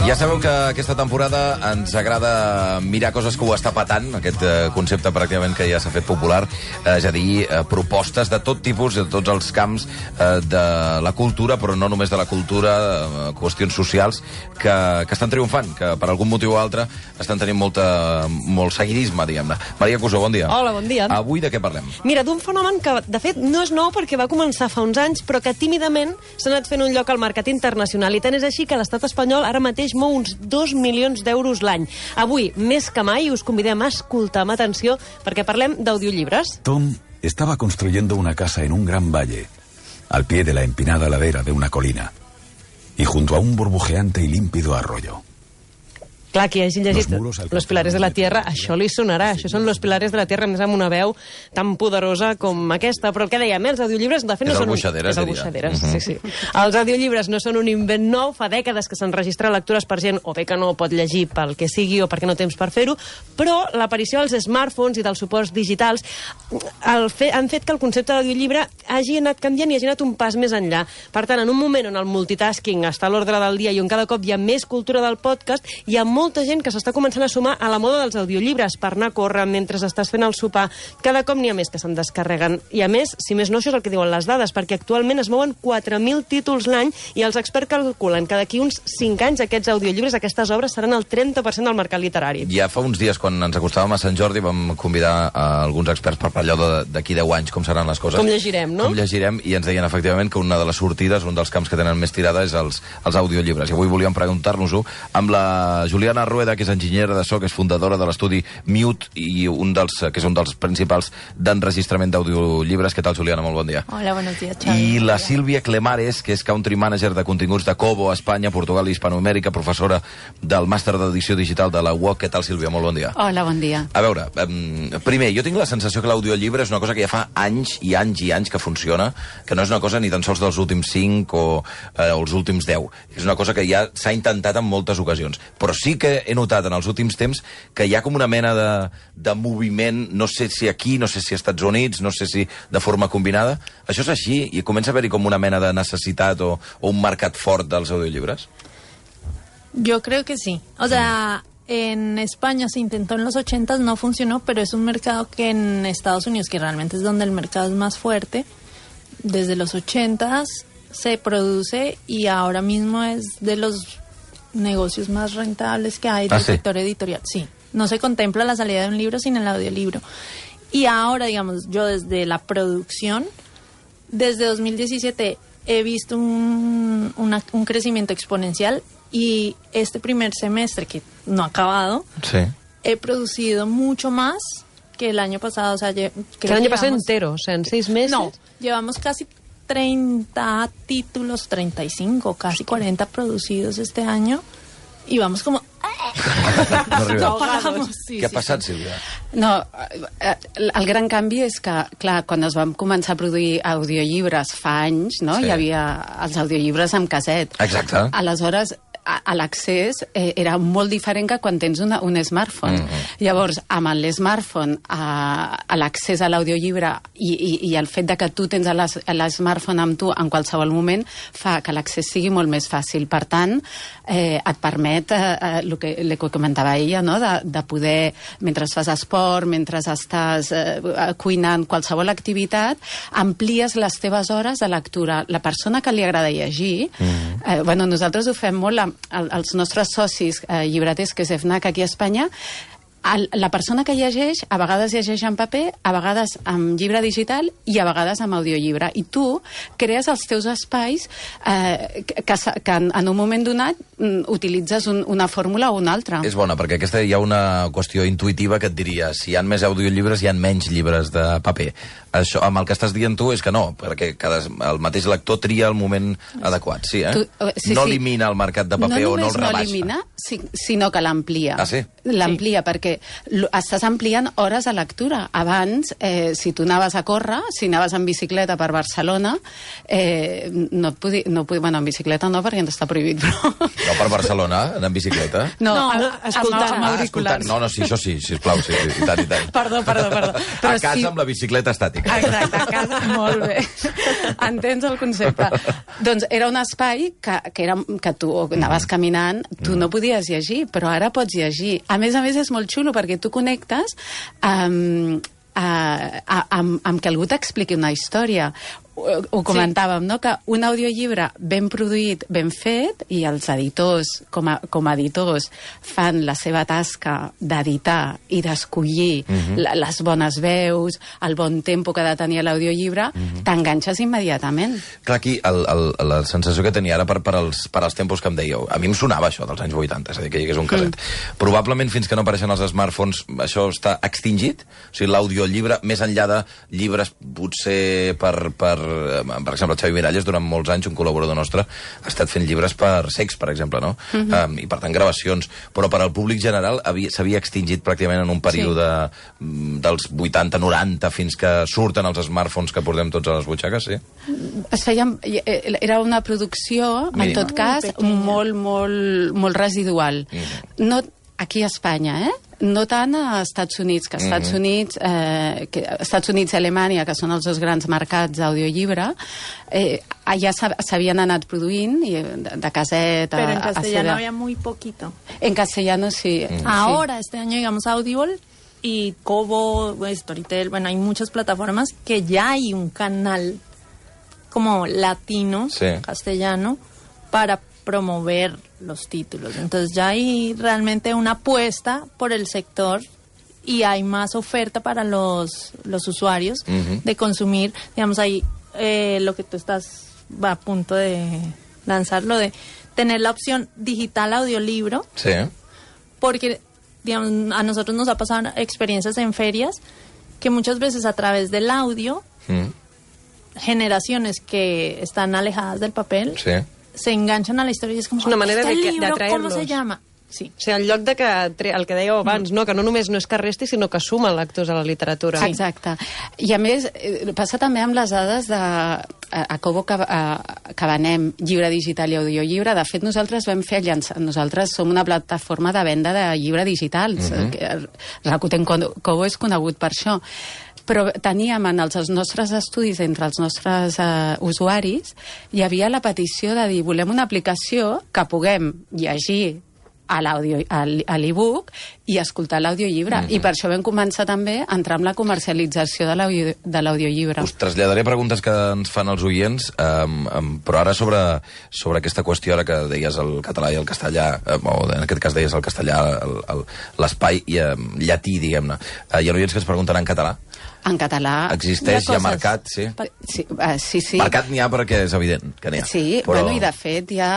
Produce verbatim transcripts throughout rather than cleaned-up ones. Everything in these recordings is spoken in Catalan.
Ja sabeu que aquesta temporada ens agrada mirar coses que ho està patant, aquest eh, concepte pràcticament que ja s'ha fet popular, eh, és a dir, eh, propostes de tot tipus, de tots els camps eh, de la cultura, però no només de la cultura, eh, qüestions socials, que, que estan triomfant, que per algun motiu o altre estan tenint molta, molt seguidisme, diguem-ne. Maria Cusó, bon dia. Hola, bon dia. Avui de què parlem? Mira, d'un fenomen que, de fet, no és nou perquè va començar fa uns anys, però que tímidament s'ha anat fent un lloc al mercat internacional. I tant és així que l'estat espanyol ara mateix mou uns dos milions d'euros l'any. Avui, més que mai, us convidem a escoltar amb atenció perquè parlem d'audiollibres. Tom estaba construyendo una casa en un gran valle, al pie de la empinada ladera de una colina, y junto a un burbujeante y límpido arroyo. Clar, qui hagi llegit Los Pilares de la Tierra, això li sonarà. Això són Los Pilares de la Tierra, més amb una veu tan poderosa com aquesta. Però què dèiem, els audiollibres de fet no és són... el Buixaderes, és el Buixaderes, sí, sí. Els audiollibres no són un invent nou, fa dècades que s'enregistren lectures per gent o bé que no pot llegir pel que sigui o perquè no temps per fer-ho, però l'aparició dels smartphones i dels suports digitals el fe, han fet que el concepte d'audiollibre hagi anat canviant i hagi anat un pas més enllà. Per tant, en un moment on el multitasking està a l'ordre del dia i on cada cop hi ha més cultura del podcast, hi ha molta gent que s'està començant a sumar a la moda dels audiollibres per anar a córrer mentre estàs fent el sopar. Cada cop n'hi ha més que se'n descarreguen. I a més, si més no, això és el que diuen les dades, perquè actualment es mouen quatre mil títols l'any i els experts calculen que d'aquí uns cinc anys aquests audiollibres, aquestes obres, seran el trenta per cent del mercat literari. Ja fa uns dies, quan ens acostàvem a Sant Jordi, vam convidar a alguns experts per parlar d'aquí deu anys, com seran les coses. Com llegirem, no? Com llegirem, i ens deien efectivament que una de les sortides, un dels camps que tenen més tirada és els, els audiollibres. I avui volíem preguntar-nos-ho amb la Juliana Rueda, que és enginyera de so, que és fundadora de l'estudi Mute i un dels, que és un dels principals d'enregistrament d'audiollibles. Què tal, Juliana? Molt bon dia. Hola, buenos días, Xavi. I la Sílvia Clemares, que és country manager de continguts de Kobo, Espanya, Portugal i Hispanoamèrica, professora del màster d'edició digital de la U O C. Què tal, Sílvia? Molt bon dia. Hola, bon dia. A veure, um, primer, jo tinc la sensació que l'audiollibre és una cosa que ja fa anys i anys i anys que funciona, que no és una cosa ni tan sols dels últims cinc o eh, els últims deu. És una cosa que ja s'ha intentat en moltes ocasions. Però sí que he notat en els últims temps que hi ha com una mena de, de moviment, no sé si aquí, no sé si als Estats Units, no sé si de forma combinada. Això és així? I comença a haver-hi com una mena de necessitat o, o un mercat fort dels audiollibres? Yo creo que sí. O sea, en España se intentó en los ochentas, no funcionó, pero es un mercado que en Estados Unidos, que realmente es donde el mercado es más fuerte, desde los ochentas se produce y ahora mismo es de los negocios más rentables que hay del ¿Ah, sí? sector editorial. Sí, no se contempla la salida de un libro sin el audiolibro. Y ahora, digamos, yo desde la producción, desde dos mil diecisiete he visto un, una, un crecimiento exponencial y este primer semestre, que no ha acabado, sí, he producido mucho más que el año pasado. O sea, que el año pasado entero, o sea, en seis meses. No, llevamos casi treinta títulos, treinta y cinco, casi cuarenta producidos este año y vamos como... No no paramos. Sí, Què ha sí, passat, sí. Sílvia? No, el gran canvi és que, clar, quan es van començar a produir audiollibres fa anys, no? Sí. Hi havia els audiollibres amb casset. Exacte. Aleshores, a, a l'accés eh, era molt diferent que quan tens una, un smartphone. Mm-hmm. Llavors, amb l'smartphone, a, a l'accés a l'audiollibre i, i, i el fet de que tu tens l'smartphone amb tu en qualsevol moment fa que l'accés sigui molt més fàcil. Per tant, eh, et permet eh, el que, el que comentava ella, no? de, de poder, mentre fas esport, mentre estàs eh, cuinant, qualsevol activitat, amplies les teves hores de lectura. La persona que li agrada llegir, mm-hmm. eh, bueno, nosaltres ho fem molt amb els nostres socis eh, llibreters, que és FNAC aquí a Espanya. El, la persona que llegeix, a vegades llegeix en paper, a vegades en llibre digital i a vegades en audiollibre. I tu crees els teus espais eh, que, que en, en un moment donat utilitzes un, una fórmula o una altra. És bona, perquè aquesta hi ha una qüestió intuïtiva que et diria, si hi ha més audiollibres hi ha menys llibres de paper. Això, amb el que estàs dient tu és que no, perquè cada, el mateix lector tria el moment adequat, sí, eh? Tu, sí, no sí. elimina el mercat de paper no o no el rebaixa. No elimina, sí, sinó que l'amplia. Ah, sí? L'amplia, sí. Perquè perquè estàs ampliant hores de lectura. Abans, eh, si tu anaves a córrer, si anaves en bicicleta per Barcelona, eh, no et podia... No podia bueno, en bicicleta no, perquè ens està prohibit, però... No per Barcelona, anar en bicicleta? No, No, amb, escoltant. amb, amb Ah, auriculars. escoltant. No, no, sí, això sí, sisplau, sí, sí, i tant, i tant. Perdó, perdó, perdó. A casa sí- amb la bicicleta estàtica. Exacte, a casa, molt bé. Entens el concepte? Doncs era un espai que, que, era, que tu anaves caminant, tu no podies llegir, però ara pots llegir. A més a més, és molt xulo, perquè tu connectes amb, amb, amb, amb que algú t'expliqui una història. Ho, ho comentàvem, no?, que un audiollibre ben produït, ben fet, i els editors, com a, com a editors, fan la seva tasca d'editar i d'escollir uh -huh. la, les bones veus, el bon tempo que ha de tenir l'audiollibre, uh -huh. t'enganxes immediatament. Clar, aquí el, el, la sensació que tenia ara per, per, als, per als tempos que em dèieu, a mi em sonava això dels anys vuitanta, és a dir, que hi hagués un caset. Mm. Probablement fins que no apareixen els smartphones això està extingit, o sigui, l'audiollibre, més enllà de llibres potser per, per per exemple, el Xavi Miralles, durant molts anys, un col·laborador nostre, ha estat fent llibres per sex, per exemple, no? Uh-huh. um, I per tant, gravacions. Però per al públic general s'havia extingit pràcticament en un període sí. dels vuitanta noranta fins que surten els smartphones que portem tots a les butxaques, sí? Es feien, era una producció, Mínima. en tot cas, molt, molt, molt residual. Uh-huh. No aquí a Espanya, eh? No tant a Estats Units, que Estats mm-hmm. Units, eh, que Estats Units i Alemanya, que són els dos grans mercats d'audiollibre, eh, allà s'havien anat produint i de, de caset a... Pero en castellano a había muy poquito. En castellano sí. Mm. Ahora, este año, digamos, Audible y Kobo, Storytel, bueno, hay muchas plataformas que ya hay un canal como latino, sí. castellano, para promover los títulos. Entonces ya hay realmente una apuesta por el sector y hay más oferta para los, los usuarios uh-huh. de consumir, digamos, ahí eh, lo que tú estás va a punto de lanzarlo, de tener la opción digital audiolibro. Sí. Porque, digamos, a nosotros nos ha pasado experiencias en ferias que muchas veces a través del audio, mm. generaciones que están alejadas del papel, sí. se enganchan a la història i és com, és una manera este de, libro, d'atraer-los. ¿cómo se llama? Sí. O sigui, en lloc de que, el que dèieu abans, mm. no? Que no només no és que resti, sinó que suma lectors a la literatura. Sí. Exacte. I a més, passa també amb les dades de... A Kobo que, a, que venem llibre digital i audiollibre. De fet, nosaltres vam fer llançar... Nosaltres som una plataforma de venda de llibre digitals. Mm-hmm. Rakuten Kobo és conegut per això. Però teníem en els nostres estudis, entre els nostres uh, usuaris, hi havia la petició de dir, volem una aplicació que puguem llegir a l'e-book i escoltar l'audiollibre. Mm-hmm. I per això vam començar també a entrar en la comercialització de l'audiollibre. Us traslladaré preguntes que ens fan els oients, um, um, però ara sobre, sobre aquesta qüestió, ara que deies el català i el castellà, um, o en aquest cas deies el castellà, l'espai um, llatí, diguem-ne. Uh, hi ha oients que es pregunten en català. En català... Existeix, hi ha mercat, sí. Sí, uh, sí, sí. Mercat n'hi ha perquè és evident que n'hi ha. Sí, però... bueno, i de fet ja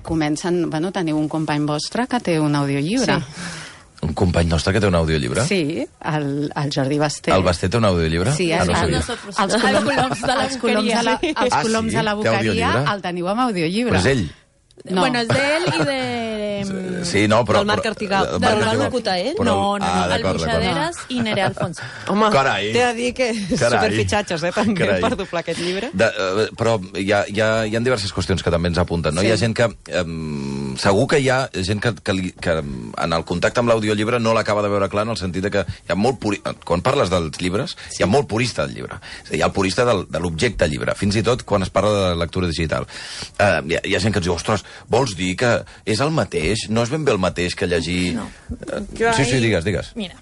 comencen... Bueno, teniu un company vostre que té un audiollibre. Sí. Un company nostre que té un audiollibre? Sí, el, el Jordi Basté. El Basté té un audiollibre? Sí, ah, no a, nosotros. Els coloms de la Els coloms de la, els Ah, coloms sí? de la Té boqueria audiollibre? el teniu amb audiollibre. Però és ell. No. Bueno, es de él y de... Sí, no, però... Del Marc Artigal. el Del Marc Marc Artigal. locuta ell? Però- No, no, Ah, no, d'acord, Albuixaderes i Nerea Alfonso. Home, Carai. t'he de dir que Carai. superfitxatges, eh, també, Carai. per doblar aquest llibre. De, uh, però hi ha, hi, ha, hi ha diverses qüestions que també ens apunten, no? Sí. Hi ha gent que... Um, segur que hi ha gent que, que, li, que en el contacte amb l'audiollibre no l'acaba de veure clar, en el sentit de que hi ha molt puri... Quan parles dels llibres, sí. hi ha molt purista del llibre. És a dir, hi ha el purista del, de l'objecte llibre, fins i tot quan es parla de lectura digital. Uh, hi, ha, hi ha gent que ens diu, ostres, vols dir que és el mateix? No és ben bé el mateix que llegir... No. Uh, Yo sí, sí, ahí- digues, digues. Mira,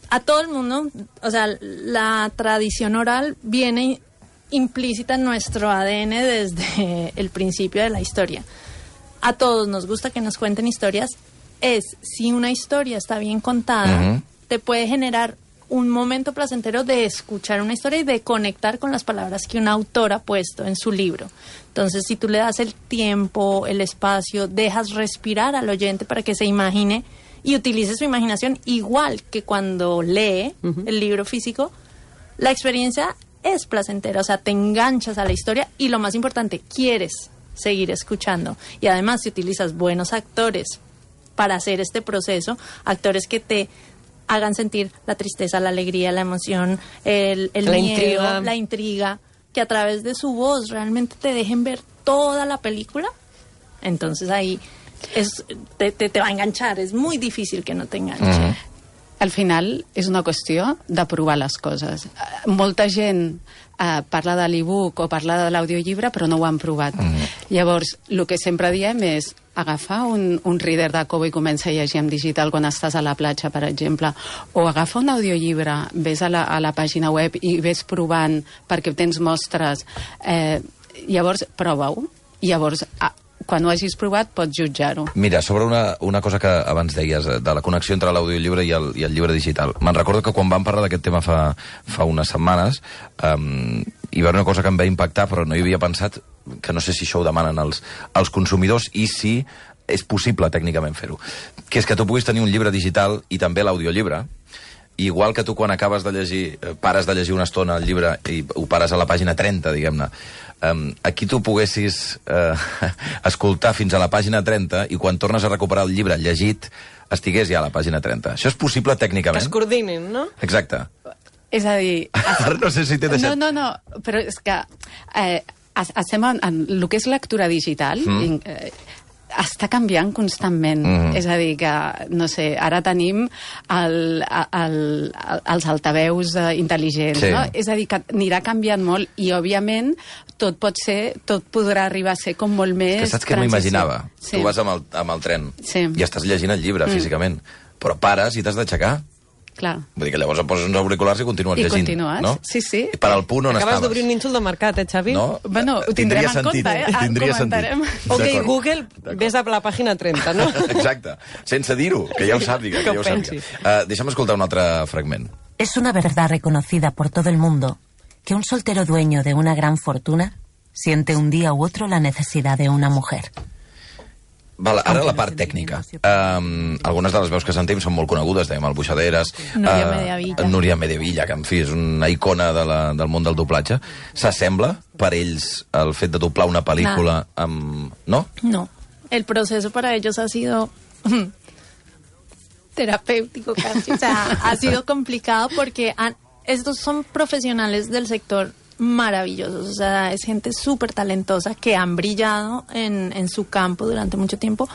a todo el mundo, o sea, la tradición oral viene implícita en nuestro A D N desde el principio de la historia. A todos nos gusta que nos cuenten historias. Es, si una historia está bien contada, Ujú. te puede generar un momento placentero de escuchar una historia y de conectar con las palabras que un autor ha puesto en su libro. Entonces, si tú le das el tiempo, el espacio, dejas respirar al oyente para que se imagine y utilice su imaginación igual que cuando lee uh-huh. el libro físico, la experiencia es placentera, o sea, te enganchas a la historia y lo más importante, quieres seguir escuchando. Y además, si utilizas buenos actores para hacer este proceso, actores que te hagan sentir la tristeza, la alegría, la emoción, el, el la miedo, intriga. la intriga, que a través de su voz realmente te dejen ver toda la película. Entonces ahí es, te, te, te va a enganchar, es muy difícil que no te enganche. Mm. Al final és una qüestió de provar les coses. Eh, Molta gent eh, parla de l'e-book o parla de l'audiollibre, però no ho han provat. Mm. Llavors, el que sempre diem és agafar un, un reader de Kobo i comença a llegir en digital quan estàs a la platja, per exemple, o agafar un audiollibre, ves a la, a la pàgina web i ves provant perquè tens mostres. Eh, llavors, prova-ho. Llavors, a, quan ho hagis provat, pots jutjar-ho. Mira, sobre una, una cosa que abans deies, de la connexió entre l'audiollibre i, el, i el llibre digital. Me'n recordo que quan vam parlar d'aquest tema fa, fa unes setmanes, um, hi va haver una cosa que em va impactar, però no hi havia pensat, que no sé si això ho demanen els, els consumidors i si és possible tècnicament fer-ho. Que és que tu puguis tenir un llibre digital i també l'audiollibre, igual que tu quan acabes de llegir, pares de llegir una estona el llibre i ho pares a la pàgina trenta, diguem-ne, um, aquí tu poguessis uh, escoltar fins a la pàgina trenta i quan tornes a recuperar el llibre llegit estigués ja a la pàgina trenta. Això és possible tècnicament? Que es coordinin, no? Exacte. És a dir... Ara no sé si t'he deixat... No, no, no, però és que eh, estem en, en el que és lectura digital, mm. eh, està canviant constantment. Mm. És a dir, que, no sé, ara tenim el, el, el, els altaveus eh, intel·ligents, sí. no? És a dir, que anirà canviant molt i, òbviament, tot pot ser, tot podrà arribar a ser com molt més... Que saps què m'imaginava? Sí. Tu vas amb el, amb el tren sí. i estàs llegint el llibre mm. físicament, però pares i t'has d'aixecar. Clar. Vull dir que llavors et poses uns auriculars i continues I llegint. continues, no? sí, sí. I per al punt on Acabes estaves. d'obrir un nínxol de mercat, eh, Xavi? No? Bueno, ho tindrem Tindria en sentit, compte, eh? Tindria Comentarem. sentit. Ok, D'acord. Google, ves a la pàgina trenta, no? Exacte. Sense dir-ho, que ja ho sàpiga. Que, Que ja ho ho pensi. sàpiga. Uh, deixa'm escoltar un altre fragment. Es una verdad reconocida por todo el mundo que un soltero dueño de una gran fortuna siente un día u otro la necesidad de una mujer. Val, ara la part tècnica. Um, algunes de les veus que sentim són molt conegudes, dèiem el Buixaderes, Núria uh, Mediavilla. Núria Mediavilla, que en fi és una icona de la, del món del doblatge. S'assembla per ells el fet de doblar una pel·lícula Nada. amb... No? No, el proceso para ellos ha sido terapéutico casi, o sea, ha sido complicado porque han, estos son profesionales del sector maravillosos, o sea, es gente súper talentosa que han brillado en, en su campo durante mucho tiempo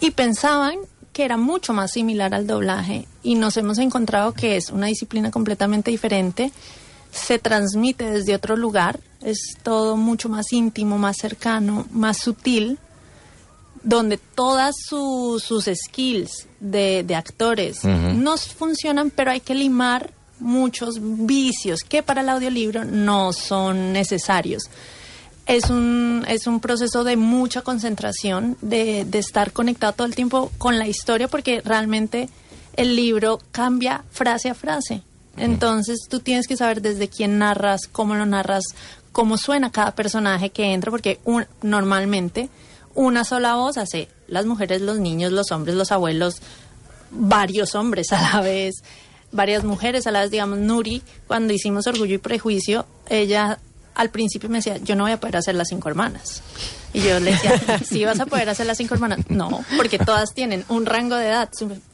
y pensaban que era mucho más similar al doblaje y nos hemos encontrado que es una disciplina completamente diferente, se transmite desde otro lugar, es todo mucho más íntimo, más cercano, más sutil, donde todas su, sus skills de, de actores uh-huh. no funcionan, pero hay que limar muchos vicios que para el audiolibro no son necesarios. Es un, es un proceso de mucha concentración, de, de estar conectado todo el tiempo con la historia, porque realmente el libro cambia frase a frase. Entonces tú tienes que saber desde quién narras, cómo lo narras, cómo suena cada personaje que entra, porque un, normalmente una sola voz hace las mujeres, los niños, los hombres, los abuelos, varios hombres a la vez, varias mujeres a la vez. Digamos, Nuri, cuando hicimos Orgullo y Prejuicio, ella al principio me decía, yo no voy a poder hacer las cinco hermanas. Y yo le decía, ¿sí vas a poder hacer las cinco hermanas? No, porque todas tienen un rango de edad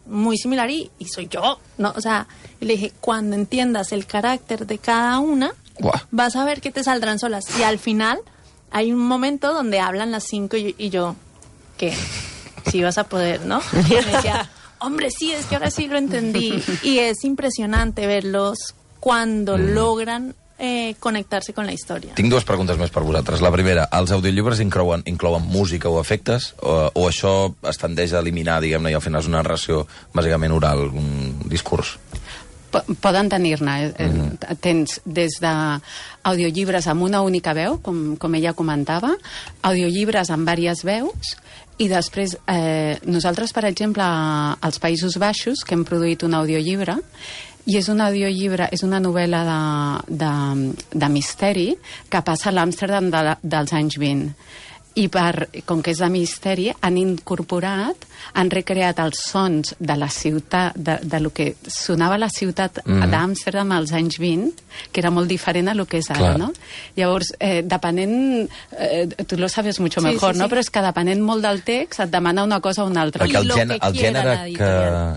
muy similar y, y soy yo, ¿no? O sea, y le dije, cuando entiendas el carácter de cada una, Guau. vas a ver que te saldrán solas. Y al final hay un momento donde hablan las cinco y, y yo, ¿qué? Sí vas a poder, ¿no? Y me decía, hombre, sí, es que ahora sí lo entendí. Y es impresionante verlos cuando mm. logran eh, conectar-se con la història. Tinc dues preguntes més per vosaltres. La primera, els audiollibres inclouen, inclouen música o efectes? O, o això es tendeix a eliminar, diguem-ne, i al final és una narració bàsicament oral, un discurs? Poden tenir-ne. Mm. Tens des d'audiollibres amb una única veu, com, com ella comentava, audiollibres amb diverses veus, i després, eh, nosaltres, per exemple, als Països Baixos, que hem produït un audiollibre, i és un audiollibre, és una novel·la de, de, de misteri que passa a l'Amsterdam de, dels anys vint. i per, com que és de misteri, han incorporat, han recreat els sons de la ciutat, de, de lo que sonava la ciutat mm. d'Amsterdam als anys vint, que era molt diferent a lo que és ara, no? Llavors, eh, depenent, eh, tu lo sabes mucho sí, mejor, sí, sí. no? Però és que depenent molt del text et demana una cosa o una altra. Perquè el, gènere, el, gènere que,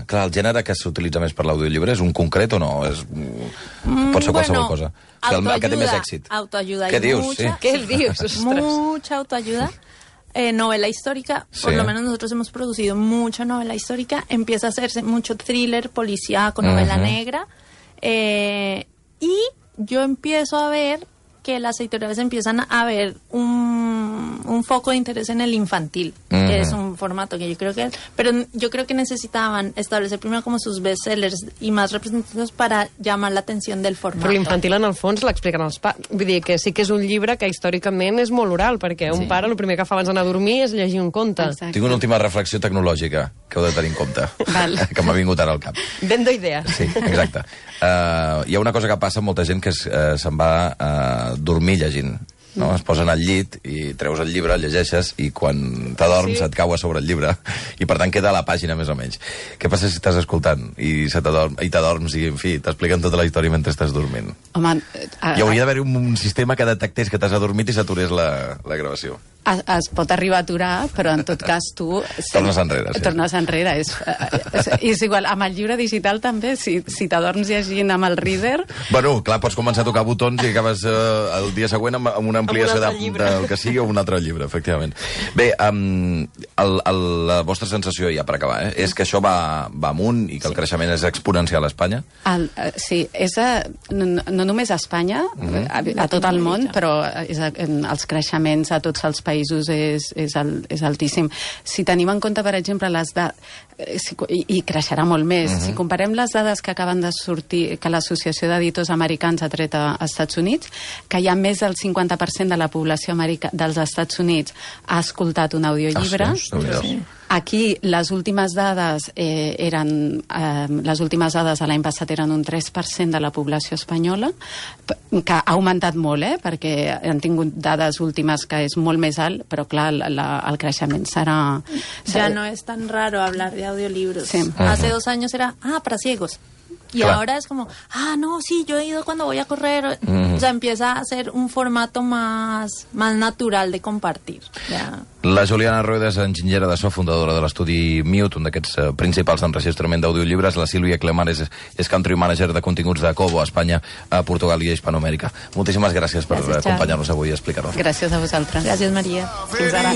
clar, el gènere que s'utilitza més per l'audiollibre és un concret o no? És, mm, pot ser qualsevol bueno, cosa. El, el que té més èxit. Autoayuda. ¿Qué dius? Mucha, sí. ¿Qué dius? Ostras. Mucha autoayuda. Eh, novela histórica, sí. Por lo menos nosotros hemos producido mucha novela histórica. Empieza a hacerse mucho thriller, policíaco, novela uh-huh. negra. Eh, y yo empiezo a ver que las editoriales empiezan a ver un, un foco de interés en el infantil, uh-huh. que es un formato que yo creo que... Pero yo creo que necesitaban establecer primero como sus bestsellers y más representativos para llamar la atención del formato. Però l'infantil, en el fons, l'expliquen els pares. Vull dir que sí que és un llibre que històricament és molt oral, perquè un sí. pare el primer que fa abans d'anar a dormir és llegir un conte. Exacte. Tinc una última reflexió tecnològica que heu de tenir en compte, que m'ha vingut ara al cap. Vendo idees. Sí, exacte. Uh, hi ha una cosa que passa amb molta gent que es, uh, se'n va a uh, dormir llegint. No? Es posen al llit i treus el llibre, el llegeixes i quan t'adorms sí. et cau a sobre el llibre i per tant queda a la pàgina més o menys. Què passa si estàs escoltant i se t'adorm, i t'adorms i en fi, t'expliquen tota la història mentre estàs dormint? Home, a, hi hauria d'haver un, un sistema que detectés que t'has adormit i s'aturés la, la gravació. Es, es pot arribar a aturar, però en tot cas tu... Tornes enrere, sí. Tornes enrere. És, és, és igual, amb el llibre digital també, si, si t'adorms llegint amb el reader... Bueno, clar, pots començar a tocar botons i acabes eh, el dia següent amb, amb una ampliació de, del que sigui o un altre llibre, efectivament. Bé, um, el, el, la vostra sensació, ja per acabar, eh, és que això va, va amunt i que el creixement és exponencial a Espanya? El, sí, és a, no, no només a Espanya, uh-huh. a, a tot el món, però és a, en els creixements a tots els països és, és, el, és altíssim. Si tenim en compte, per exemple, les dades, si, i, i creixerà molt més, uh-huh. si comparem les dades que acaben de sortir, que l'Associació d'Editors Americans ha tret a, als Estats Units, que hi ha més del cinquanta per cent de la població america, dels Estats Units ha escoltat un audiollibre. Ah, sí? Sí. Aquí les últimes dades eh, eren eh, les últimes dades de l'any passat eren un tres per cent de la població espanyola, que ha augmentat molt, eh, perquè han tingut dades últimes que és molt més alt, però clar, la, la, el creixement serà, serà... Ya no es tan raro hablar de audiolibros. Sí. Hace dos años era, ah, para ciegos. Y claro. ahora es como, ah, no, sí, yo he ido cuando voy a correr. Mm. O sea, empieza a ser un formato más, más natural de compartir. Ya. La Juliana Rueda és enginyera de so, fundadora de l'estudi Mute, un d'aquests uh, principals d'enregistrament d'audiolliures. La Sílvia Clemar és, és country manager de continguts de Kobo, a Espanya, a Portugal i a Hispanoamèrica. Moltíssimes gràcies per gràcies, acompanyar-nos avui i explicar-nos. Gràcies a vosaltres. Gràcies, Maria. Fins ara.